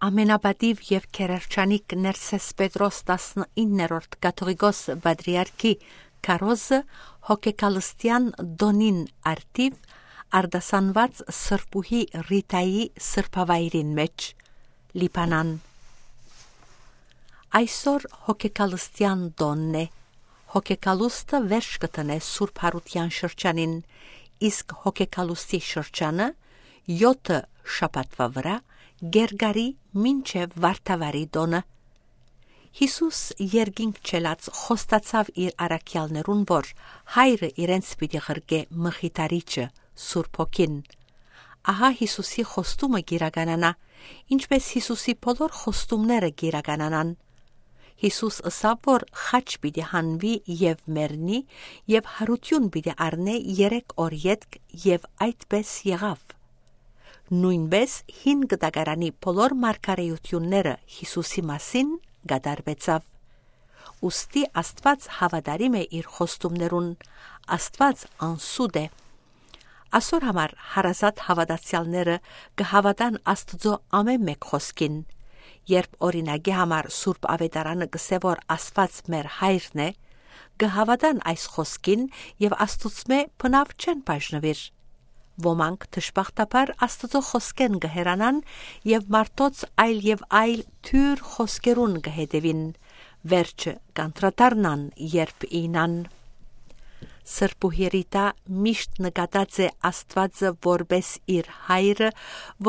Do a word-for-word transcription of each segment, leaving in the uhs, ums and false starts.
Ամենապատիւ եւ գերերջանիկ Ներսէս Պետրոս տասնիններորդ կաթողիկոս պատրիարքի քարոզը հոգեկալստեան տօնին արդիւ արտասանուած Սրբուհի Ռիտայի սրբավայրին մէջ, Լիբանան։ Այսօր հոգեկալստեան տօնն է։ Հոգեկալուստը վերջ կը դնէ Սուրբ Յարութեան շրջանին, իսկ հոգեկալուստի շրջանը յօթը շաբաթուայ վրայ կ'երկարի մինչեւ Վարդավառի տօնը։ Յիսուս երկինք չելած խոստացաւ իր առաքեալներուն, որ Հայրը իրենց պիտի ղրկէ Մխիթարիչը, Սուրբ Հոգին։ Ահա Յիսուսի խոստումը կ'իրականանայ, ինչպէս Յիսուսի բոլոր խոստումները կ'իրականանան։ Յիսուս ըսաւ, որ խաչ պիտի հանուի եւ մեռնի, եւ յարութիւն պիտի առնէ երեք օր ետք, եւ այդպէս եղաւ։ Նոյնպէս Հին Կտակարանի բոլոր մարգարէութիւնները Յիսուսի մասին կատարուեցաւ։ Ուստի Աստուած հաւատարիմ է իր խոստումներուն, Աստուած անսուտ է։ Ասոր համար հարազատ հաւատացեալները կը հաւատան Աստուծոյ ամէն մէկ խօսքին։ Երբ օրինակի համար Սուրբ Աւետարանը կ'ըսէ, որ Աստուած մեր Հայրն է, կը հաւատան այս խօսքին եւ Աստուծմէ բնաւ չեն բաժնուիր։ Ոմանք դժբախտաբար Աստուծոյ խօսքէն կը հեռանան եւ մարդոց այլ եւ այլ թիւր խօսքերուն կը հետեւին, վերջը կ'անդրադառնան, երբ իյնան։ Սրբուհի Ռիտա միշտ նկատած է Աստուածը որպէս իր Հայրը,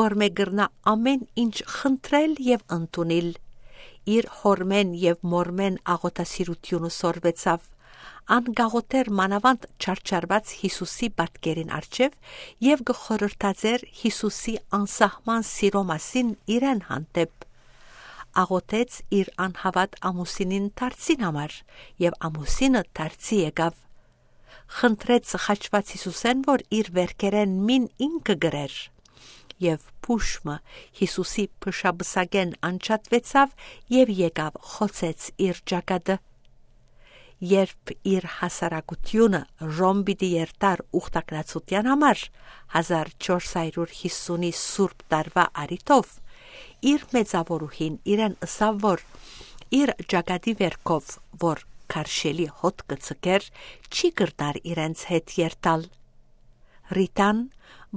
որմէ կրնայ ամէն ինչ խնդրել եւ ընդունիլ։ Իր հօրմէն եւ մօրմէն աղօթասիրութիւնը սորվեցաւ։ Ան կ'աղօթէր մանաւանդ չարչարուած Յիսուսի պատկերին առջեւ եւ կը խորհրդածէր Յիսուսի անսահման սիրոյ մասին իրեն հանդէպ։ Աղօթեց իր անհաւատ ամուսինին դարձին համար, եւ ամուսինը դարձի եկաւ։ Խնդրեց խաչուած Յիսուսէն, որ իր վերքերէն մին ինքը կրէր։ Եւ փուշ մը Յիսուսի փշապսակէն անջատուեցաւ եւ եկաւ խոցեց իր ճակատը։ Երբ իր հասարակութիւնը Ռոմ պիտի երթար ուխտագնացութեան համար, հազար չորս հարիւր յիսունի Սուրբ Տարուայ առիթով, իր մեծաւորուհին իրեն ըսաւ, որ իր ճակատի վերքով, որ քարշելի հոտ կը ձգէր, չի կրնար իրենց հետ երթալ։ Ռիտան,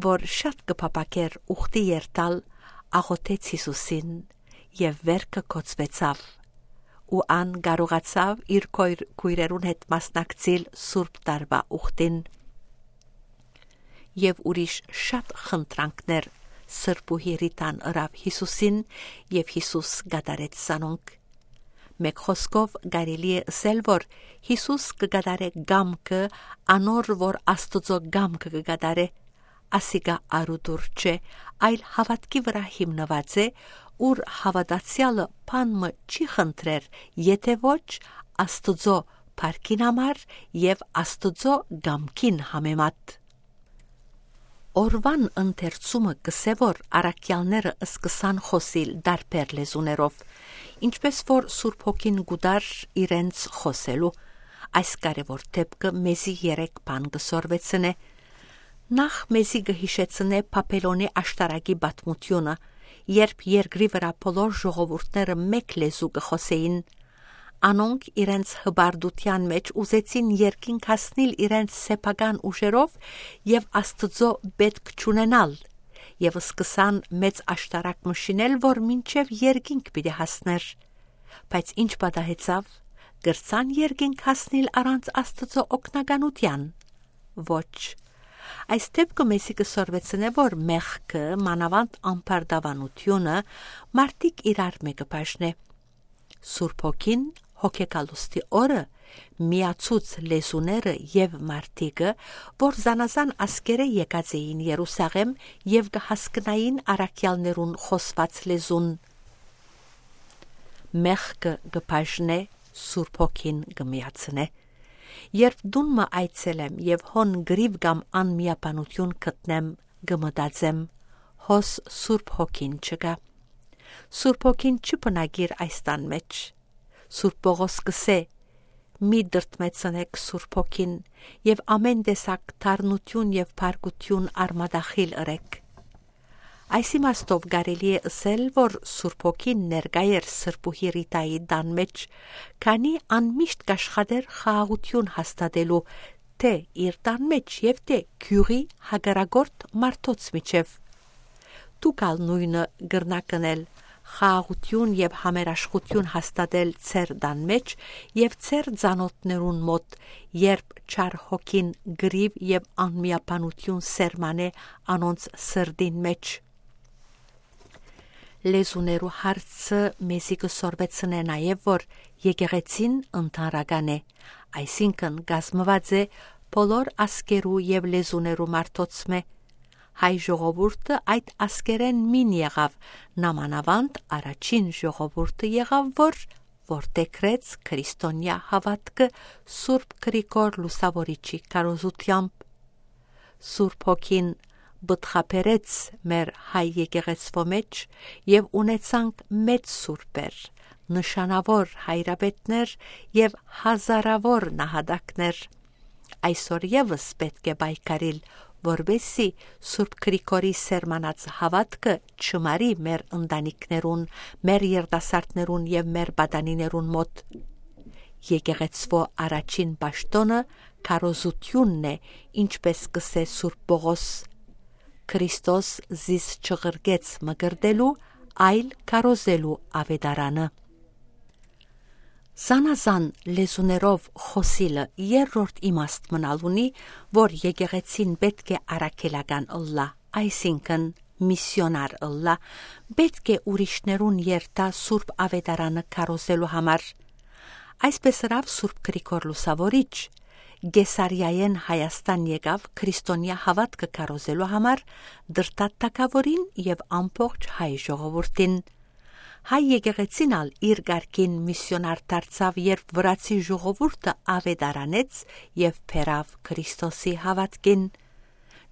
որ շատ կը փափաքէր ուխտի երթալ, աղօթեց Յիսուսին եւ վերքը կոծուեցաւ, ու ան կարողացաւ իր քոյր-, քոյրերուն հետ մասնակցիլ Սուրբ Տարուայ ուխտին։ Եւ ուրիշ շատ խնդրանքներ Սրբուհի Ռիտան ըրաւ Յիսուսին, եւ Յիսուս կատարեց զանոնք։ Մէկ խօսքով կարելի է ըսել, որ Յիսուս կը կատարէ կամքը անոր, որ Աստուծոյ կամքը կը կատարէ։ Ասիկա արուտուր չէ, այլ հաւատքի վրայ հիմնուած է, ուր հաւատացեալը բան մը չի խնդրեր, եթէ ոչ Աստուծոյ փառքին համար եւ Աստուծոյ կամքին համեմատ։ Օրուան ընթերցումը կ'ըսէ, որ առաքեալները սկսան խօսիլ տարբեր լեզուներով, ինչպէս որ Սուրբ Հոգին կու տար իրենց խօսելու։ Այս կարեւոր դէպքը մեզի երեք բան կը սորվեցնէ։ Նախ, մեզի կը յիշեցնէ Բաբելոնի աշտարակի պատմութիւնը, երբ երկրի վրայ բոլոր ժողովուրդները մէկ լեզու կը խօսէին։ Անոնք իրենց հպարտութեան մէջ ուզեցին երկինք հասնիլ իրենց սեփական ուժերով եւ Աստուծոյ պէտք չունենալ, եւ սկսան մեծ աշտարակ մը շինել, որ մինչեւ երկինք պիտի հասնէր։ Բայց ինչ պատահեցաւ, կրցա՞ն երկինք հասնիլ առանց Աստուծոյ օգնականութեան։ Ոչ։ Այս դէպքը մեզի կը սորվեցնէ, որ մեղքը, մանաւանդ ամբարտավանութիւնը, մարդիկ իրար մէկը բաժնէ։ Սուրբ Հոգին հոգեկալուստի օրը միացուց լեզուները եւ մարդիկը, որ զանազան ազգերէ եկած էին Երուսաղէմ եւ կը հասկնային առաքեալներուն խօսուած լեզուն։ Մեղքը կը բաժնէ, Սուրբ Հոգին կը միացնէ։ Երբ տուն մը այցելեմ եւ հոն կռիւ կամ անմիաբանութիւն գտնեմ, կը մտածեմ. «Հոս Սուրբ Հոգին չկայ։ Սուրբ Հոգին չի բնակիր այս տան մէջ»։ Սուրբ Պողոս կ'ըսէ. «Մի դրդմեցնէք Սուրբ Հոգին եւ ամէն տեսակ թարնութիւն եւ բարկութիւն արմատախիլ ըրէք»։ Այս իմաստով կարելի է ըսել, որ Սուրբ Հոգին ներկայ էր Սրբուհի Ռիտայի տան մէջ, քանի ան միշտ կ'աշխատէր խաղաղութիւն հաստատելու, թէ իր տան մէջ եւ թէ գիւղի հակառակորդ մարդոց միջեւ։ Դուք ալ նոյնը կրնաք ընել, խաղաղութիւն եւ համերաշխութիւն հաստատել ձեր տան մէջ եւ ձեր ծանօթներուն մօտ, երբ Չար Հոգին կռիւ եւ անմիաբանութիւն սերմանէ անոնց սրտին մէջ։ Լեզուներու հարցը մեզի կը սորվեցնէ նաեւ, որ եկեղեցին ընդհանրական է, այսինքն կազմուած է բոլոր ազգերու եւ լեզուներու մարդոցմէ։ Հայ ժողովուրդը այդ ազգերէն մին եղաւ, նամանաւանդ առաջին ժողովուրդը եղաւ, որ որդեգրեց քրիստոնեայ հաւատքը Սուրբ Գրիգոր Լուսաւորիչի քարոզութեամբ։ Սուրբ Հոգին պտղաբերեց մեր հայ եկեղեցւոյ մէջ եւ ունեցանք մեծ սուրբեր, նշանաւոր հայրապետներ եւ հազարաւոր նահատակներ։ Այսօր եւս պէտք է պայքարիլ, որպեսզի Սուրբ Գրիգորի սերմանած հաւատքը չմարի մեր ընտանիքներուն, մեր երիտասարդներուն եւ մեր պատանիներուն մօտ։ Եկեղեցւոյ առաջին պաշտօնը քարոզութիւնն է, ինչպես կ'ըսէ Սուրբ Պողոս. «Քրիստոս զիս չղրկեց մկրտելու, այլ քարոզելու աւետարանը»։ Զանազան լեզուներով խօսիլը երրորդ իմաստ մնալ ունի, որ եկեղեցին պէտք է առաքելական ըլլայ, այսինքն՝ միսիոնար ըլլայ, պէտք է ուրիշներուն երթայ Սուրբ Աւետարանը քարոզելու համար։ Այսպես ըրաւ Սուրբ Գրիգոր Լուսաւորիչ, Կեսարիայէն Հայաստան եկաւ քրիստոնեայ հաւատքը քարոզելու համար Տրտատ թագաւորին եւ ամբողջ հայ ժողովուրդին։ Հայ եկեղեցին ալ իր կարգին միսիոնար դարձաւ, երբ վրացի ժողովուրդը աւետարանեց եւ բերաւ Քրիստոսի հաւատքին։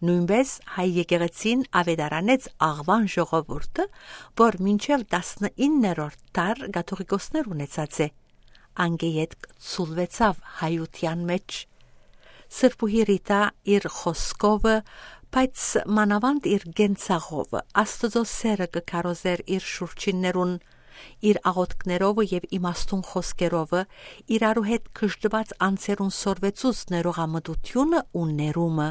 Նոյնպէս հայ եկեղեցին աւետարանեց աղուան ժողովուրդը, որ մինչեւ տասնիններորդ դար կաթողիկոսներ ունեցած է, անկէ ետք ցուլուեցաւ հայութեան մէջ։ Սրբուհի Ռիտա իր խօսքովը, բայց մանաւանդ իր կենցաղովը Աստուծոյ սէրը կը քարոզէր իր շուրջիններուն, իր աղօթքներովը եւ իմաստուն խօսքերովը, իրարու հետ կշռուած անձերուն սորվեցուց ներողամտութիւնը ու ներումը,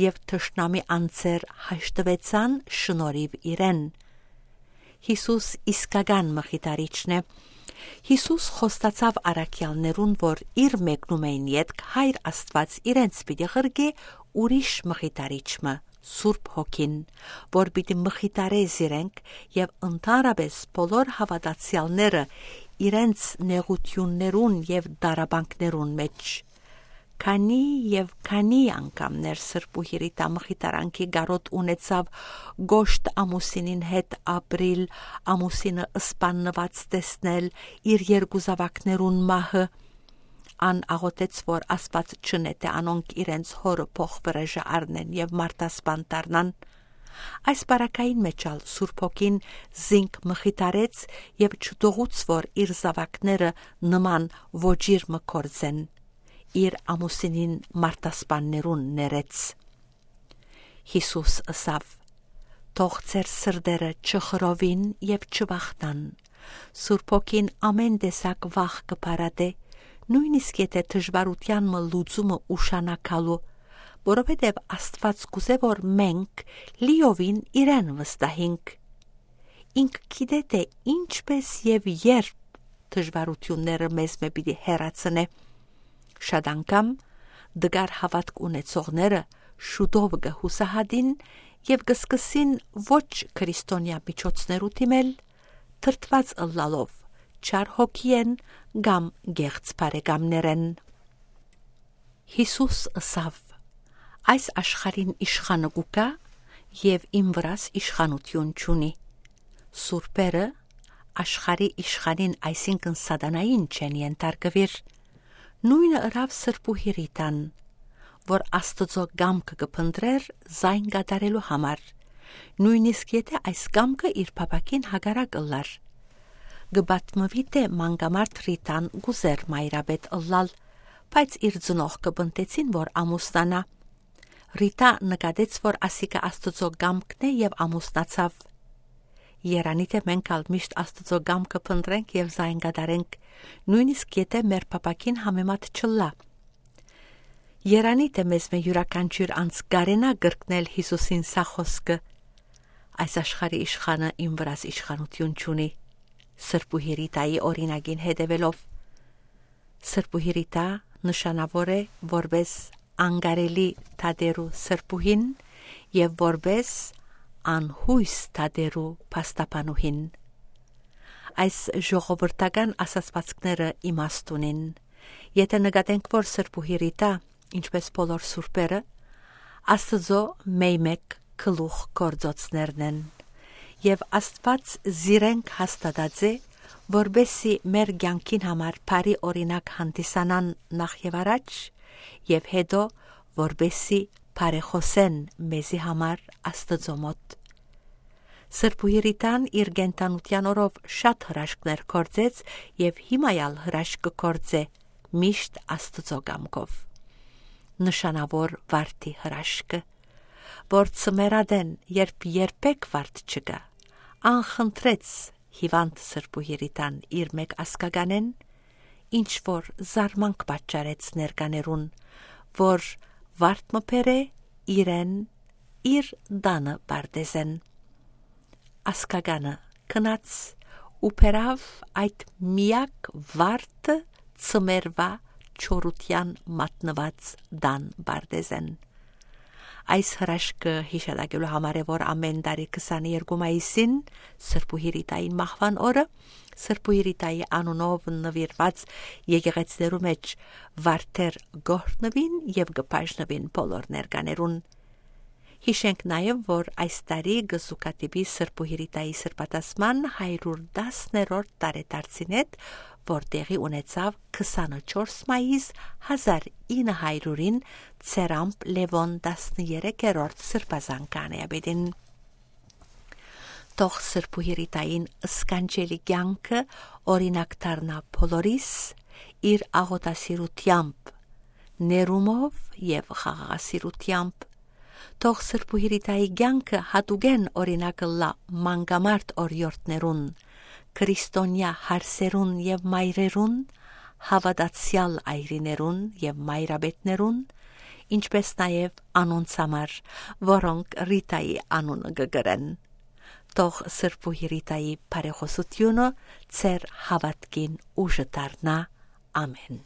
եւ թշնամի անձեր հաշտուեցան շնորհիւ իրեն։ Յիսուս իսկական մխիթարիչն է։ Յիսուս խոստացաւ առաքեալներուն, որ իր մեկնումէն ետք Հայր Աստուած իրենց պիտի ղրկէ ուրիշ մխիթարիչ մը, Սուրբ Հոգին, որ պիտի մխիթարէ զիրենք եւ ընդհանրապէս բոլոր հաւատացեալները իրենց նեղութիւններուն եւ տառապանքներուն մէջ։ Քանի եւ քանի անգամներ Սրբուհի Ռիտա մխիթարանքի կարօտ ունեցաւ կոշտ ամուսինին հետ ապրիլ, ամուսինը սպաննուած տեսնել, իր երկու զաւակներուն մահը։ Ան աղօթեց, որ Աստուած չընէ, թէ անոնք իրենց հօրը փոխվրեժը առնեն եւ մարդասպան դառնան։ Այս պարագային մէջ ալ Սուրբ Հոգին զինք մխիթարեց եւ չթողուց, որ իր զաւակները նման ոճիր մը գործեն, իր ամուսինին մարդասպաններուն ներեց։ Յիսուս ըսաւ. «Թող ձեր սրտերը չխռովին եւ չվախնան։ Սուրբ Հոգին ամէն տեսակ վախ կը փարատէ, նոյնիսկ եթէ դժուարութեան մը լուծումը ուշանայ գալու, որովհետեւ Աստուած կ'ուզէ, որ մենք լիովին իրեն վստահինք։ Ինք գիտէ, թէ ինչպէս եւ երբ դժուարութիւնները մեզմէ պիտի հեռացնէ։ Շատ անգամ տկար հաւատք ունեցողները շուտով կը յուսահատին եւ կը սկսին ոչ քրիստոնեայ միջոցներու դիմել, դրդուած ըլլալով Չար Հոգիէն կամ կեղծ բարեկամներէն»։ Յիսուս ըսաւ. «Այս աշխարհին իշխանը կու գայ եւ իմ վրաս իշխանութիւն չունի»։ Սուրբերը աշխարհի իշխանին, այսինքն՝ սատանային, չեն ենթարկուիր։ Նոյնը ըրաւ Սրբուհի Ռիտան, որ Աստուծոյ կամքը կը փնտռէր զայն կատարելու համար, նոյնիսկ եթէ այս կամքը իր փափաքին հակառակ ըլլար։ Կը պատմուի, թէ մանկամարդ Ռիտան կ'ուզէր մայրապետ ըլլալ, բայց իր ծնողքը պնդեցին, որ ամուսնանայ։ Ռիտա նկատեց, որ ասիկա Աստուծոյ կամքն է, եւ ամուսնացաւ։ Երանի թէ մենք ալ միշտ Աստուծոյ կամքը փնտռենք եւ զայն կատարենք, նոյնիսկ եթէ մեր փափաքին համեմատ չըլլայ։ Երանի թէ մեզմէ իւրաքանչիւր անձ կարենայ կրկնել Յիսուսին սա խօսքը. «Այս աշխարհի իշխանը իմ վրաս իշխանութիւն չունի»։ Սրբուհի Ռիտայի օրինակին հետեւելով, Սրբուհի Ռիտա նշանաւոր է որպէս անկարելի դատերու սրբուհին եւ որպէս անյոյս դատերու փաստաբանուհին։ Այս ժողովրդական ասացուածքները իմաստ ունին, եթէ նկատենք, որ Սրբուհի Ռիտա, ինչպէս բոլոր սուրբերը, Աստուծոյ մէյմէկ գլուխ գործոցներն են, եւ Աստուած զիրենք հաստատած է, որպէս զի մեր կեանքին համար բարի օրինակ հանդիսանան նախ եւ առաջ, եւ հետո որպէսզի բարեխօսեն մեզի համար Աստուծոյ մօտ։ Սրբուհի Ռիտան իր կենդանութեան օրով շատ հրաշքներ գործեց եւ հիմա ալ հրաշք կը գործէ, միշտ Աստուծոյ կամքով։ Նշանաւոր վարդի հրաշքը, որ ծմերատեն երբ երբեք վարդ չկայ, անխնդրեց հիւանդ Սրբուհի Ռիտան իր մէկ ազգականէն, ինչ որ զարմանք պատճառեց ներկաներուն, որ վարդ մը բերէ իրեն իր տանը պարտեզէն։ Ազգականը գնաց ու բերաւ այդ միակ վարդը ծմերուայ չորութեան մատնուած տան պարտեզէն։ Այս հրաշքը յիշատակելու համար է, որ ամէն տարի քսաներկու մայիսին, Սրբուհի Ռիտային մահուան օրը, Սրբուհի Ռիտայի անունով նուիրուած եկեղեցիներու մէջ վարդեր կ'օրհնուին եւ կը բաժնուին բոլոր ներկաներուն։ Յիշենք նաեւ, որ այս տարի կը զուգադիպի Սրբուհի Ռիտայի սրբատասման հարիւր տասներորդ տարեդարձին հետ, որ տեղի ունեցաւ քսանչորս մայիս հազար ինը հարիւրին, ծերամբ Լեւոն տասներեքերորդ սրբազան քահանայապետին։ Թող Սրբուհի Ռիտային սքանչելի կեանքը օրինակ դառնայ բոլորիս, իր աղօթասիրութեամբ, ներումով եւ խաղաղասիրութեամբ։ Թող Սրբուհի Ռիտայի կեանքը յատուկէն օրինակ ըլլայ մանկամարդ օրիորդներուն, քրիստոնեայ հարսերուն եւ մայրերուն, հաւատացեալ այրիներուն եւ մայրապետներուն, ինչպէս նաեւ անոնց համար, որոնք Ռիտայի անունը կը կրեն։ Թող Սրբուհի Ռիտայի բարեխօսութիւնը ձեր հաւատքին ուժը դառնայ։ Ամէն։